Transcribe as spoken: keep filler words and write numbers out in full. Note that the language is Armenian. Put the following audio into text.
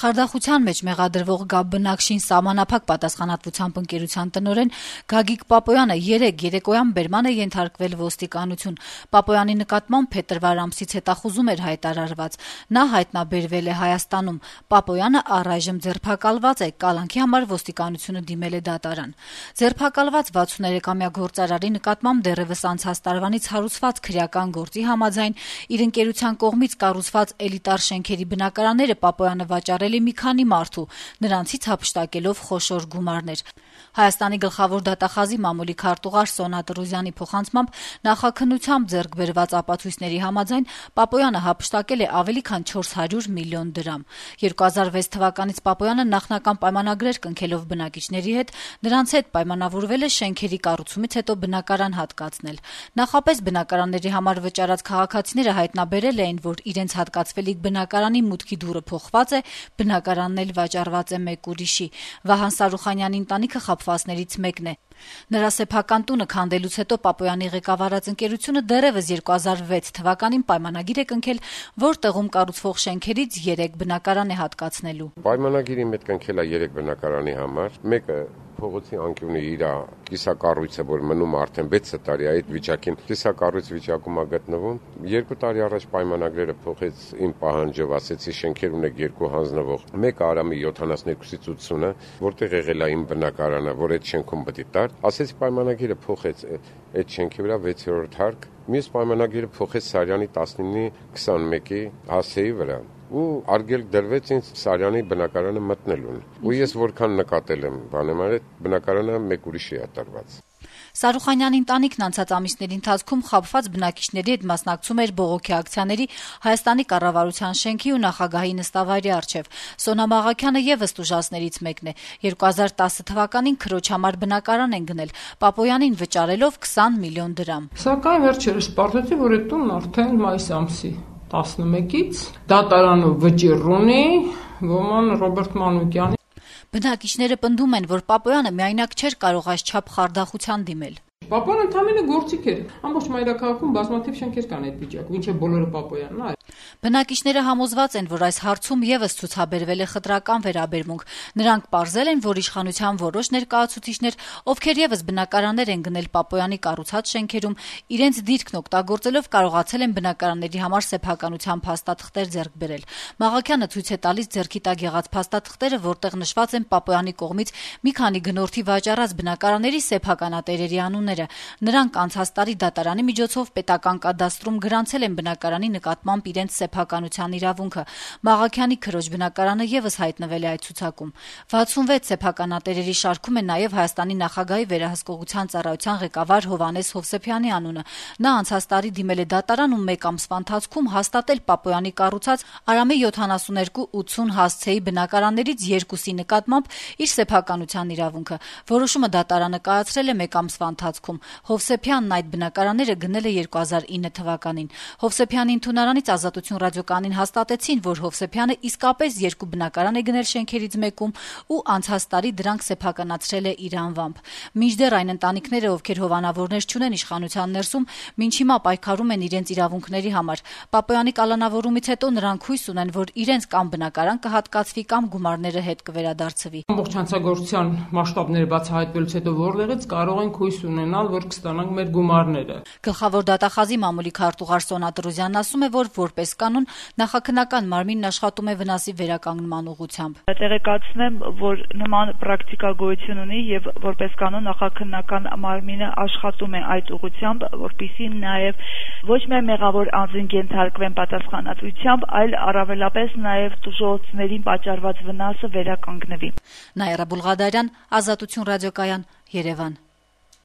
Խարդախության մեջ մեղադրվող Գաբբնակշին սահմանափակ պատասխանատվությամբ ընկերության տնօրեն Գագիկ Պապոյանը երեկ երեկոյան բերման է ենթարկվել ոստիկանություն։ Պապոյանի նկատմամբ փետրվար ամսից հետախուզում էր հայտարարված։ Նա հայտնաբերվել է Հայաստանում։ Պապոյանը առայժմ ձերբակալված է, կալանքի համար ոստիկանությունը դիմել է դատարան։ Ձերբակալված վաթսուներեքամյա գործարարի նկատմամբ դեռևս անցած տարվանից հարուցված քրեական գործի համաձայն իր ընկերության կողմից կառուցված էլիտար շենքերի բնակարանները Պապոյանը վաճառել է մի քանի մարդու, նրանցից հափշտակելով խոշոր գումարներ։ Հայաստանի գլխավոր դատախազի մամուլի քարտուղար Սոնա Տրուզյանի փոխանցմամբ նախաքննությամբ ձեռք բերված ապացույցների համաձայն Պապոյանը հափշտակել է ավելի քան չորս հարյուր միլիոն դրամ։ երկու հազար վեց թվականից Պապոյանը նախնական պայմանագրեր կնքելով բնակիչների հետ նրանց հետ պայմանավորվել է շենքերի կառուցումից հետո բնակարան հատկացնել։ Նախապես բնակարանների համար վճարած քաղաքացիները հայտնաբերել էին, որ իրենց հատկացվելիք բնակարանի մուտքի դուռը փոխված է, բնակարանն էլ վաճառված է մեկ ուրիշի։ Վահան Սարուխանյանի ընտանիքը խաբվածներից մեկն է։ Նրա սեփական տունը քանդելուց հետո Պապոյանի ղեկավարած ընկերությունը դեռևս երկու հազար վեց թվականին պայմանագիր է կնքել, որ տեղում կառուցվող շենքերից երեք բնակարան է հատկացնելու։ Պայմանագիրի մեջ կնքել է երեք բնակարանի համար, մեկը փողոցի անկյունի իր կիսակառույցը, որ մնում արդեն վեց տարի այդ վիճակին կիսակառույց վիճակում է գտնվում։ Երկու տարի առաջ պայմանագրերը փոխեց իմ պահանջով, ասեցի շենքեր ունեք երկու հանձնվող։ Մեկը Արամի յոթանասներկուսից ութսունը, որտեղ եղել է իմ բնակարանը, որ այդ շենքում պետք է տար։ Ասեցի պայմանագիրը փոխեց այդ շենքի վրա վեցերորդ հարկ։ Մյուս պայմանագիրը փոխեց Սարյանի տասնինի քսանմեկի հասեի վրա։ Ու արգելք դրվեց ինձ Սարյանի բնակարանը մտնելուն։ Ու ես որքան նկատել եմ, բանեմ այդ բնակարանը մեկ ուրիշի է տրված։ Սարուխանյանի ընտանիքն անցած ամիսների ընթացքում խաբված բնակիչների հետ մասնակցում էր բողոքի ակցիաների Հայաստանի կառավարության շենքի ու նախագահի նստավայրի առջև։ Սոնա Մաղաքյանը եւս տուժածներից մեկն է։ երկու հազար տասը թվականին քրոջ համար բնակարան են գնել, Պապոյանին վճարելով քսան միլիոն դրամ։ Սակայն վերջերս պարզեցի, որ այդ տունն արդեն մայիս ամսի տասնմեկից դատարանով վճիռ ունի ոման Ռոբերտ Մանուկյանի։ Բնակիչները պնդում են, որ Պապոյանը միայնակ չէր կարող այսչափ խարդախության դիմել։ Պապոյանը ընդամենը գործիք էր։ Ամբողջ մայրաքաղաքում բազմաթիվ շենքեր կան այդ վիճակում, ինչը բոլորը Պապոյանն է։ Բնակիչները համոզված են, որ այս հարցում եւս ցուցաբերվել է խտրական վերաբերմունք։ Նրանք պարզել են, որ իշխանության որոշ ներկայացուցիչներ, ովքեր եւս բնակարաններ են գնել Պապոյանի կառուցած շենքերում, իրենց դիրքն օգտագործելով կարողացել են բնակարանների համար սեփականության փաստաթղթեր ձեռք բերել։ Մաղաքյանը ցույց է տալիս ձեռքի տակ եղած փաստաթղթերը, որտեղ նշված են Պապոյանի կողմից մի քանի գնորդի վաճառած բնակարանների սեփականատերերի անունները։ Նրանք անցած տարի դատարանի միջոցով պետական կադաստրում գրանցել են բնակարանի նկատմամբ իրենց սեփականության իրավունքը։ Մաղաքյանի քրոջ բնակարանը եւս հայտնվել է այդ ցուցակում։ վաթսունվեց սեփականատերերի շարքում է նաեւ Հայաստանի նախագահի վերահսկողության ծառայության ղեկավար Հովհաննես Հովսեփյանի անունը։ Նա անցած տարի դիմել է դատարան ու մեկ ամսվա ընթացքում հաստատել Պապոյանի կառուցած Արամի յոթանասուներկու ութսուն հասցեի բնակարաններից երկուսի նկատմամբ իր սեփականության իրավունքը։ Որոշումը դատարանը կայացրել է մեկ ամսվա ընթացքում։ Հովսեփյանն այդ բնակարանները գնել է երկու հազար ինը թվականին։ Հովսեփյանի ընդունարանից Ազատություն ռադիոկայանին հաստատեցին, որ Հովսեփյանը իսկապես երկու բնակարան է գնել շենքերից մեկում ու անցած տարի դրանք սեփականացրել է իր անվամբ։ Մինչդեռ այն ընտանիքները, ովքեր հովանավորներ չունեն իշխանության ներսում, մինչ հիմա պայքարում են իրենց իրավունքների համար։ Պապոյանի կալանավորումից հետո նրանք հույս ունեն, որ իրենց կամ բնակարան կհատկացվի կամ գումարները հետ կվերադարձվի։ Ամբողջ հանցագործության մասշտաբները բացահայտվելուց հետո որտեղից կարող ենք հույս ունենալ, որ կստանանք մեր գումարները։ Գլխավոր դատախազի մամուլի քարտուղար Սոնա Տրուզյանն ասում է, որ որպես կանոն նախաքննական մարմինն աշխատում է վնասի վերականգնման ուղղությամբ։ Տեղեկացնեմ, որ նման պրակտիկա գոյություն ունի եւ որպես կանոն նախաքննական մարմինը աշխատում է այդ ուղղությամբ, որպեսզի նաեւ ոչ միայն մեղավոր անձին ենթարկվեն պատասխանատվությամբ, այլ առավելապես նաեւ տուժողներին պատճառված վնասը վերականգնվի։ Նաիրա Բուլղադարյան, Ազատություն ռադիոկայան, Երևան։